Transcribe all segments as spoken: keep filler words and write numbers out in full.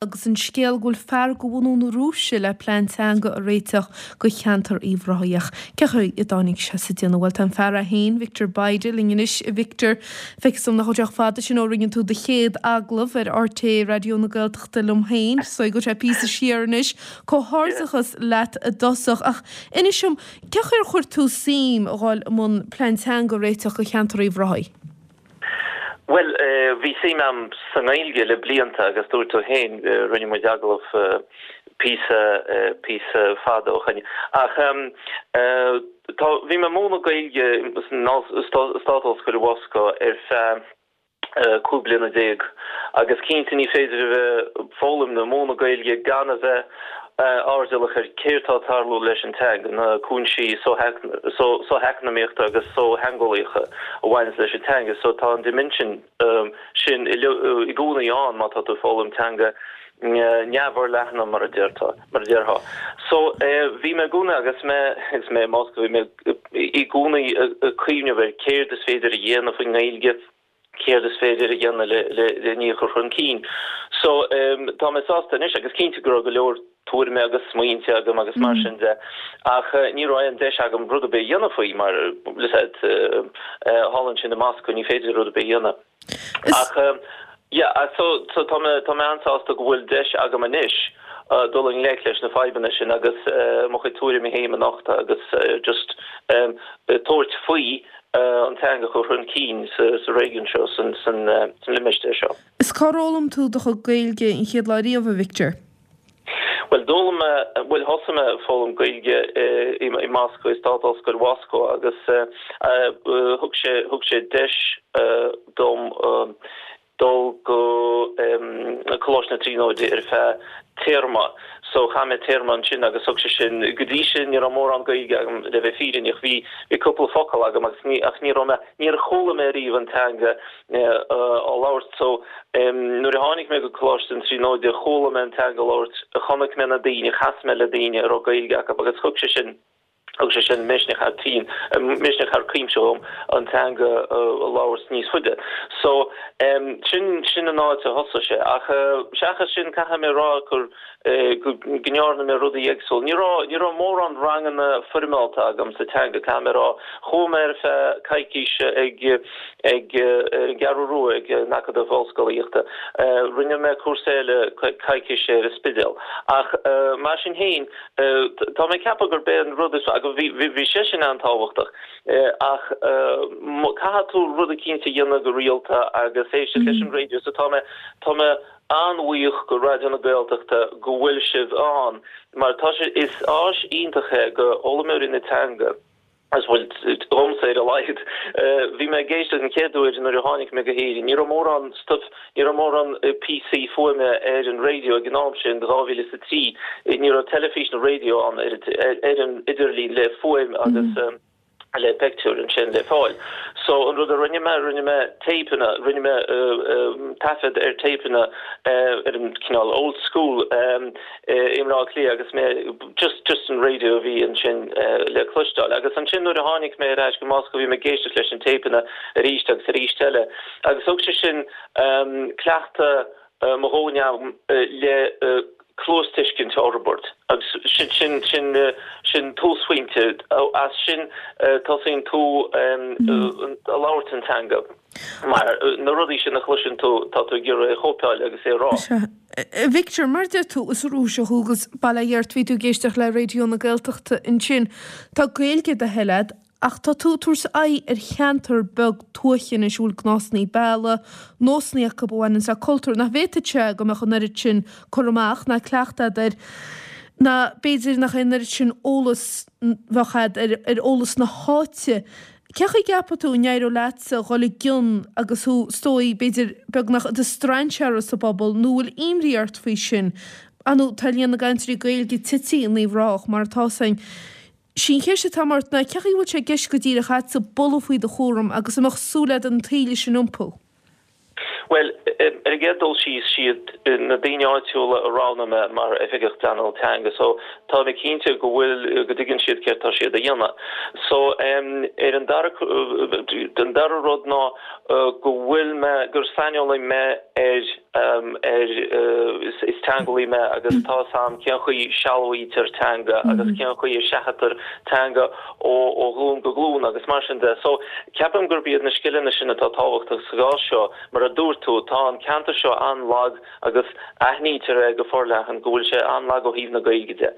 Agus an scéal go bhfuil fear de bhunadh na Rúise le plean teanga a réiteach do cheantar Uíbh Ráthaigh. Cén chaoi a dtáinig sé sa déanamh? Bhuel tá an fear é féin, Victor Bayda, linn anois. A Victor, feictear dom nach bhfuil sé chomh fada sin ó rinne tú do chéad agallamh ar RTÉ Raidió na Gaeltachta liom féin, so go bhfuil sé píosa siar anois. Comhghairdeachas leat i dtosach. Ach inis dom, cén chaoi ar chuir tú suim a dhul i mbun plean teanga a réiteach do cheantar Uíbh Ráthaigh? Bhuel, bhí suim agam sa nGaeilge le blianta agus dúirt tú féin, rinne muid agallamh píosa píosa fada ó shoin. Ach tá, bhí mé ag múineadh Gaeilge san Stát-Ollscoil i Mhoscó ar feadh cúig bliana déag agus cinnte ní féidir a bheith ag foghlaim nó múineadh Gaeilge gan a bheith airdeallach ar céard atá ag tarlú leis an teanga, na cúinsí socheacnamaíochta agus sochtheangeolaíocha a bhaineanns leis an teanga. So tá an dimension sin i gcónaí ann má tá tú ag foghlaim teanga neamhfhorleathan mar a déarfá, mar a déarfá. So bhí mé i gcónaí agus mé agus mé i Moscó bhí mé i gcónaí ag cuimhneamh ar céard is féidir a dhéanamh faoin nGaeilge, céard is féidir a dhéanamh le le le í a chur chun cinn. So tá mé sásta anois agus cinnte go raibh go leor tuairime agus smaointe agam agus mar sin de ach ní raibh aon deis agam rud ar bith a dhéanamh faoi mar thall ansin i Moscó ní féidir rud ar bith a dhéanamh. Ach yeah so so tá mé tá mé an-sásta go bhfuil deis agam anois dul i ngleic leis na fadhbanna sin agus mo chuid tuairimí féin a nochtadh agus just tabhairt faoi an teanga a chur chun cinn sa réigiún seo, san limistéar seo. Is cár fhoghlaim tú do chuid Gaeilge an chéad lá riamh, a Victor? Bhuel, d'fhoghlaim mé, bhuel, thosaigh mé ag foghlaim Gaeilge i Moscó, i Stát-Ollscoil Mhoscó agus thug sé, thug sé deis dom dul go Coláiste na Tríonóide ar feadh téarma. So chaith mé téarma ansin agus thug sé sin, go dtí sin ní raibh mórán Gaeilge agam le bheith fírinneach, bhí bhí cúpla focal agam agus ní ach ní raibh mé, níor chuala mé riamh an teanga á labhairt. So nuair a tháinig mé go Coláiste na Tríonóide chuala mé an teanga á labhairt, chonaic mé na daoine, chas mé le daoine a raibh Gaeilge acu agus thug sé sin, Thug sé sin misneach thar cionn, misneach thar cuimse dhom an teanga a labhairt níos faide. So, sin, sin an áit a thosaigh sé. Ach seachas sin, caithfidh mé a rá gur, go ndearna mé rudaí éagsúla. Ní raibh, ní raibh mórán ranganna foirmeálta agam sa teanga, caithfidh mé a rá. Chuaigh mé ar feadh coicíse ag, ag, ar an gCeathrú Rua ag an Acadamh Ollscolaíochta. Rinne mé cúrsa eile coicíse ar an Spidéal. Ach mar sin féin, Tá mé ag ceapadh gurb é an rud is, agus bhí, bhí sé sin an-tábhachtach, ach caithfidh tú rud eicínt a dhéanamh go rialta agus éisteacht leis an raidió so tá mé, tá mé an-bhuíoch go Raidió na Gaeltachta go bhfuil sibh ann mar tá sé, is áis iontach é go fhoghlaimeoirí na teanga. Agus bhuel, domsa ar a laghad. Bhí mé ag éisteacht an chéad uair nuair a tháinig mé go hÉirinn. Ní raibh mórán stuif, ní raibh mórán píosaí fuaime ar an raidió ag an am sin, dhá mhíle is a trí. Ní raibh teilifís nó raidió ann ar an idirlíon le fuaim agus le pictiúir ansin le fáil. So an rud a rinne mé, rinne mé téipeanna, rinne mé taifead ar téipeanna ar an cineál old school i mBleá Cliath agus mé just just an radio a bhí ansin le cloisteáil. Agus ansin nuair a tháinig mé ar ais go Moscó bhí mé ag éisteacht leis an téipeanna arís agus arís eile agus thug sé sin cleachtadh mo dhóthain agam le cluastuiscint a fhorbairt agus sin sin sin sin túsphointe. As sin tosaíonn tú ag labhairt an teanga. Mar na rudaí sin a chloiseann tú, tá tú ag iarraidh é a chóipeáil agus é a rá. Sea. A Victor, mar a deir tú, is Rúiseach thú agus bail ó Dhia ort, bhí tú ag éisteacht le Raidió na Gaeltachta ansin. Tá Gaeilge ar do thoil agat, ach tá tú ag tabhairt aghaidh ar cheantar beag tuaithe anois a bhfuil gnásanna béarla, nósanna acu a bhaineanns le cultúr nach bhféadfadh sé go mbeadh an oiread sin cur amach ná cleachtadh agat air, ná b'fhéidir nach é an oiread sin eolas bheadh agat ar eolas na háite. Cén chaoi a gceapann tú a n-éireodh leatsa dhul i gcion agus thú, is dóigh, b'fhéidir, beagnach i do strainséara sa bpobal, nó bhfuil imní ort faoi sin? Ar ndóigh, tá líon na gcainteoirí Gaeilge tite in Uíbh Ráthach, mar atá 'fhios a'inn. Sí an cheist atá ort ná, cén chaoi a bhfuil sé i gceist go díreach a'dsa bualadh faoi do chúram agus an mbeadh súil a'd an taoille sin a iompú? Well, ar an gcéad dul síos siad na daoine áitiúla a roghnaigh mé mar oifigeach pleanála teanga, so tá mé cinnte go bhfuil go dtuigeann siad céard tá siad a dhéanamh. So um, ar an dara den dara rud ná uh, go bhfuil mé gur saineolaí mé ar um, ar uh, is, is teangeolaí mé agus tá sam cén chaoi sealbhaítear teanga mm -hmm. agus cén chaoi a seachadtar teanga ó ó ghlúin go glúin agus mar sin de. So ceapaim gurb iad na scileanna sin atá tábhachtach sa gcás seo mar a dúirt tú tá an ceantar seo an-lag agus aithnítear é go forleathan go bhfuil sé an-lag ó thaobh na Gaeilge de.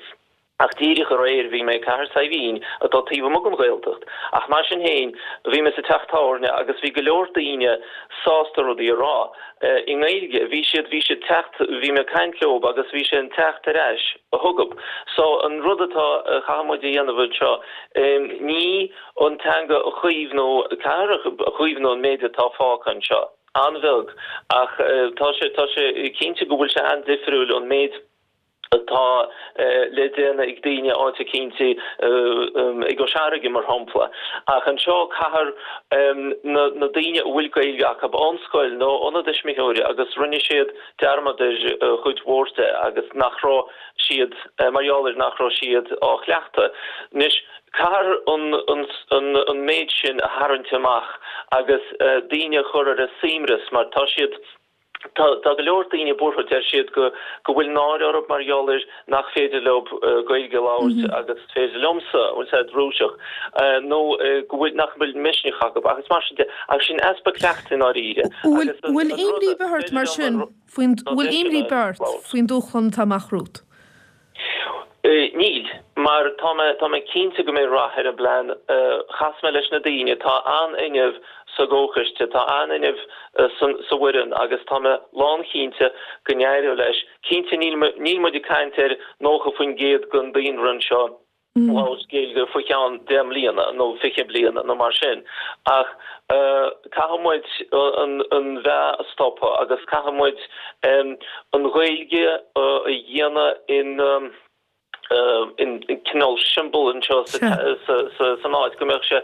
Ach díreach aréir bhí mé Cathair Saidhbhín atá taobh amuigh den Ghaeltacht. Ach mar sin féin bhí mé sa teach tábhairne agus bhí go leor daoine sásta rudaí a rá. I nGaeilge bhí siad bhí siad teacht bhí mé ag caint leo agus bhí sé an teacht ar ais a thugab. So an rud atá chaithfidh muid a dhéanamh seo ní an teanga a chaomhnú caithfear a chaomhnú an méid atá fágtha anseo. An-bheag ach tá sé tá sé cinnte go bhfuil sé an-difriúil an méid atá le déanamh ag daoine áit éicint i gCois Fharraige mar shampla. Ach anseo caithfear na, na daoine a bhfuil Gaeilge acu ón scoil nó óna dtuismitheoirí agus rinne siad dearmad ar chuid mhór de agus nach raibh siad mar gheall ar nach raibh siad á chleachtadh. Anois caithfear an, an, an, an méid sin a tharraingt amach agus daoine a chur ar a suaimhneas mar tá siad Tá tá go leor daoine buartha deir siad go go bhfuil náire orthu mar gheall ar nach féidir leo Gaeilge a labhairt agus is féidir liomsa bhfuil sé Rúiseach nó go bhfuil nach bhfuil misneach acu agus mar sin de ach sin easpa cleachtaidh i ndáiríre. Bhfuil bhfuil imní ort mar sin faoin bhfuil imní ort faoin dúshlán atá amach romhat? Níl, mar tá mé tá mé cinnte go mbeidh rath ar an bplean. Chas mé leis na daoine, tá an-fhuinneamh sa gcomhchoiste, tá an-fhuinneamh sa bhfoireann agus tá mé lánchinnte go n-éireoidh leis. Cinnte níl níl muid ag caint ar nócha faoin gcéad den daonra anseo labhairt Gaeilge faoi cheann deich mbliana nó fiche bliana nó mar sin ach caithfidh muid an an mheath a stopadh agus caithfidh muid an Ghaeilge a dhéanamh in in cineál siombail anseo san áit go mbeadh sé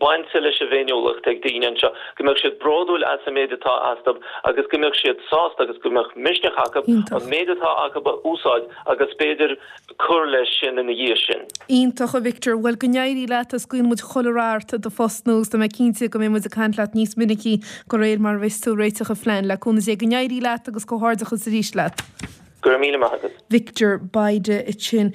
bainte leis an bhféiniúlacht ag daoine anseo, go mbeadh siad bródúil as an méid atá astu agus go mbeadh siad sásta agus go mbeadh misneach acu an méid atá acu a úsáid agus b'fhéidir cur leis sin ina dhiaidh sin. Iontach a Victor, bhuel go n-éirí leat is guíonn muid chuile rath ort i do phost nua tá mé cinnte go mbeidh muid ag caint leat níos minicí de réir mar a bheas tú ag réiteach an phlean le cúnamh Dé go n-éirí leat agus comhghairdeachas arís leat. Go raibh míle maith agat. Victor Bayda ansin.